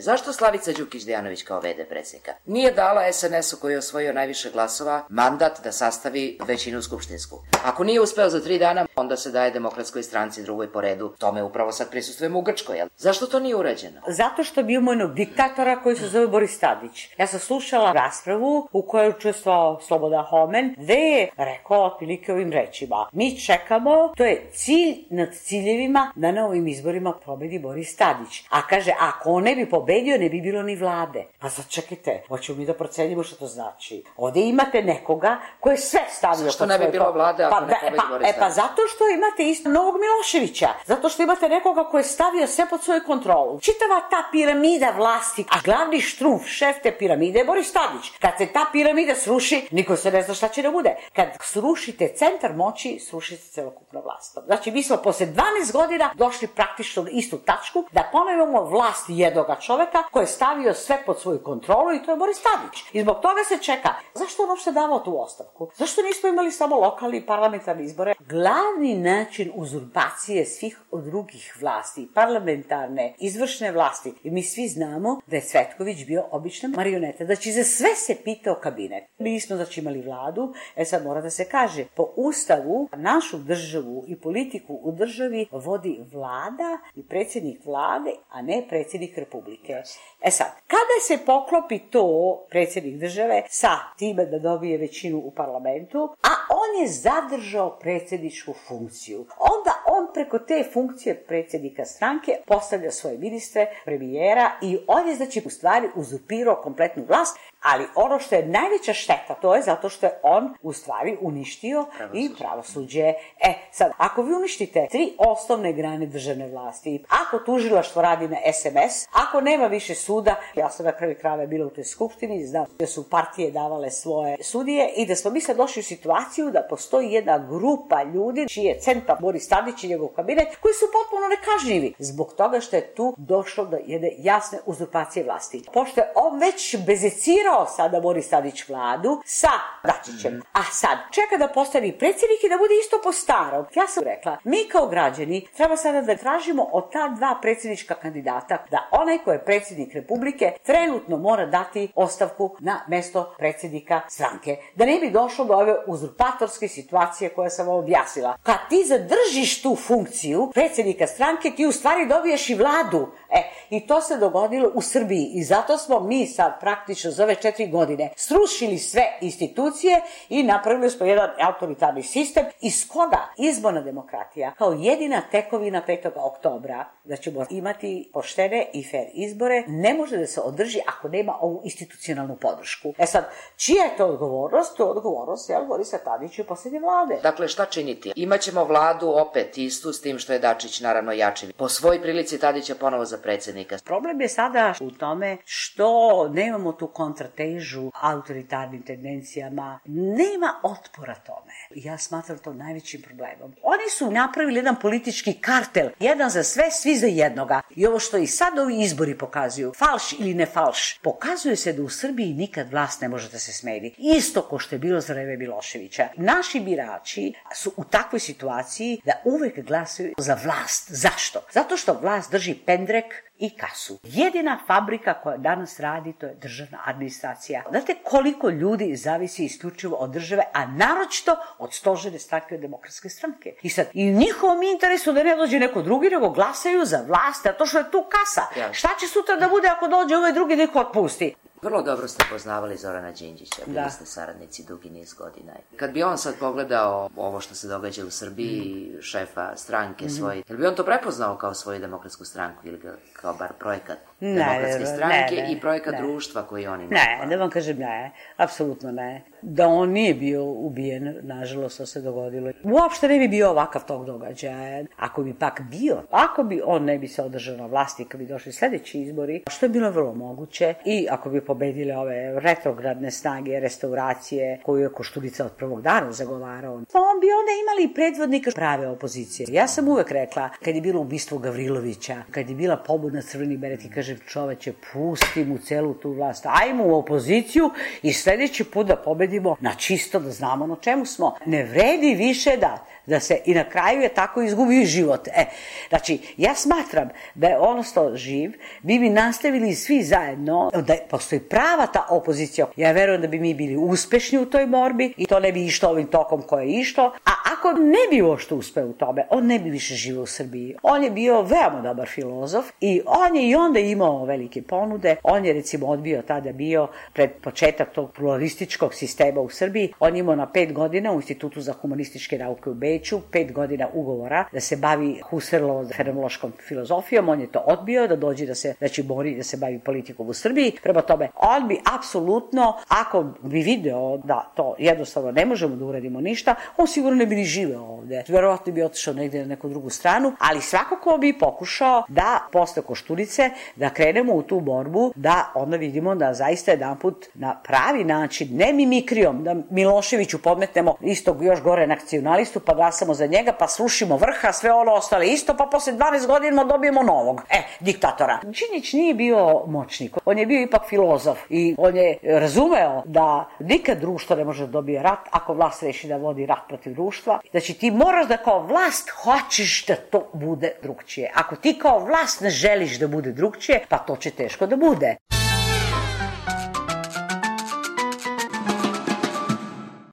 Zašto Slavica Đukić-Dejanović kao VD predsjednika nije dala SNS-u koji je osvojio najviše glasova mandat da sastavi većinu skupštinsku? Ako nije uspeo za 3 dana, onda se daje Demokratskoj stranci, drugoj po redu. Tome upravo sad prisustvujemo u Grčkoj, jel? Zašto to nije urađeno? Zato što bio jednog diktatora koji se zove Boris Tadić. Ja sam slušala raspravu u kojoj je učestvovao Slobodan Homen, gde je rekao otprilike ovim rečima: mi čekamo, to je cilj nad ciljevima, da na ovim izborima pobedi Boris Tadić. A kaže, ako on ne bi pobedio, ne bi bilo ni vlade. Pa sad čekajte, hoćemo mi da procenimo što to znači. Ovde imate nekoga ko je sve stavio... Zašto ne bi bilo vlade ako ne pobedi Boris Tadić? Pa zato što imate isto novog Miloševića. Zato što imate nekoga ko je stavio sve pod svoju kontrolu. Čitava ta piramida vlasti, a glavni štrumf, šef te piramide je Boris Tadić. Kad se ta piramida sruši, niko se ne zna šta će da bude. Kad srušite centar moći, srušite celokupna vlast. Znači, mi smo posle 12 godina došli praktično na istu tačku da ponovimo vlast jednoga čoveka koji je stavio sve pod svoju kontrolu i to je Boris Tadić. I zbog toga se čeka. Zašto on uopšte davao tu ostavku? Zašto nismo imali samo lokalni i parlamentarni izbore? Glavni način uzurpacije svih drugih vlasti, parlamentarne, izvršne vlasti, i mi svi znamo da je Cvetković bio obična marioneta. Znači, za sve se pitao kabinet. Mi nismo znači imali vladu, sad mora da se kaže, po ustavu našu državu i politiku u državi vodi vlada i predsjednik vlade, a ne predsjednik republike. Sad, kada se poklopi to predsjednik države sa time da dobije većinu u parlamentu, a on je zadržao predsjedničku funkciju, onda on preko te funkcije predsjednika stranke postavlja svoje ministre, premijera i on je znači u stvari uzurpirao kompletnu vlast, ali ono što je najveća šteta, to je zato što je on u stvari uništio i pravosuđe. Sad, ako vi uništite 3 osnovne grane državne vlasti, ako tužilaštvo radi na SMS, ako nema više suda, ja sam na kraju krajeva bila u toj skupštini, znam da su partije davale svoje sudije i da smo mi sad došli u situaciju da postoji jedna grupa ljudi čiji je centar Boris Tadić i njegov kabinet, koji su potpuno nekažnjivi zbog toga što je tu došlo do jedne jasne uzurpacije vlasti. Pošto je on već bezecirao sada Boris Tadić vladu sa Dačićem, a sad čeka da postane predsjednik i da bude isto po starom. Ja sam rekla, mi kao građani treba sada da tražimo od ta 2 predsjednička kandidata da onaj ko je predsjednik Republike trenutno mora dati ostavku na mesto predsjednika stranke. Da ne bi došlo do ove uzurpatorske situacije koje sam vam objasnila. Kad ti zadržiš tu funkciju predsjednika stranke, ti u stvari dobiješ i vladu. I to se dogodilo u Srbiji i zato smo mi sad praktično za ove 4 godine srušili sve institucije i napravili smo jedan autoritarni sistem iz koga izborna demokratija kao jedina tekovina 5. oktobra da ćemo imati poštene i fair izbore ne može da se održi ako nema ovu institucionalnu podršku. Sad, čija je to odgovornost? To je odgovornost Borisa Tadića i posljednje vlade. Dakle, šta činiti? Imaćemo vladu opet istu s tim što je Dačić naravno jači. Po svoj prilici Tadića ponovo za predsjednika. Problem je sada u tome što nemamo tu kontratežu autoritarnim tendencijama. Nema otpora tome. Ja smatram to najvećim problemom. Oni su napravili jedan politički kartel. Jedan za sve, svi za jednoga. I ovo što i sad ovi izbori pokazuju, falš ili ne falš, pokazuje se da u Srbiji nikad vlast ne može da se smeni. Isto ko što je bilo za vreme Miloševića. Naši birači su u takvoj situaciji da uvek glasaju za vlast. Zašto? Zato što vlast drži pendrek i kasu. Jedina fabrika koja danas radi, to je državna administracija. Znate koliko ljudi zavisi isključivo od države, a naročito od stožerne stranke, od Demokratske stranke. I sad, i u njihovom interesu da ne dođe neko drugi, nego glasaju za vlast, a to što je tu kasa. Šta će sutra da bude ako dođe ovaj drugi neko otpusti? Vrlo dobro ste poznavali Zorana Đinđića, bili ste saradnici dugi niz godina. Kad bi on sad pogledao ovo što se događa u Srbiji, šefa stranke svoje, jel bi on to prepoznao kao svoju demokratsku stranku ili kao bar projekat demokratske stranke i projekat društva koji oni imaju? Ne, da vam kažem ne, apsolutno ne. Da on nije bio ubijen, nažalost, to se dogodilo. Uopšte ne bi bio ovakav tog događaja. Ako bi pak bio, ako bi on ne bi se održao na vlasti kad bi došli sljedeći izbori, što je bilo vrlo moguće, i ako bi pobedile ove retrogradne snage, restauracije, koju je Koštunica od prvog dana zagovarao, pa on bi onda imali predvodnika prave opozicije. Ja sam uvek rekla, kad je bilo ubistvo Gavrilovića, kad je bila pobuna Crveni beret i kažem, čoveče, pusti mu celu tu vlast, ajmo u opoziciju i sljedeći put da pobedimo na čisto, da znamo na čemu smo. Ne vredi više da da se i na kraju je tako izgubio i život. Znači, ja smatram da je on ostao živ, bi nastavili svi zajedno, da postoji prava ta opozicija. Ja verujem da bi mi bili uspešni u toj borbi i to ne bi išlo ovim tokom koje je išlo, a ako ne bi uopšte uspeo u tome, on ne bi više živio u Srbiji. On je bio veoma dobar filozof i on je i onda imao velike ponude. On je recimo odbio tada bio pred početak tog pluralističkog sistema u Srbiji. On je imao na 5 godina u Institutu za humanističke nauke u Beču, 5 godina ugovora da se bavi Husserlovom fenomenološkom filozofijom. On je to odbio da dođe da se bori, da se bavi politikom u Srbiji. Prema tome, on bi apsolutno, ako bi video da to jednostavno ne možemo da uradimo ništa, on sigurno ne bi ni živeo ovde. Verovatno bi otišao negde na neku drugu stranu, ali svakako bi pokušao da posle Koštunice da krenemo u tu borbu, da onda vidimo da zaista jedanput na pravi način, ne mimikrijom, da Miloševiću podmetnemo istog još gore nacionalistu, pa glasamo za njega, pa srušimo vrha, sve ono ostale isto, pa posle 12 godina dobijemo novog, diktatora. Đinđić nije bio moćnik, on je bio ipak filozof i on je razumeo da nikad društvo ne može da dobije rat ako vlast reši da vodi rat protiv društva. Znači ti moraš da kao vlast hoćeš da to bude drugčije. Ako ti kao vlast ne želiš da bude drugčije, pa to će teško da bude.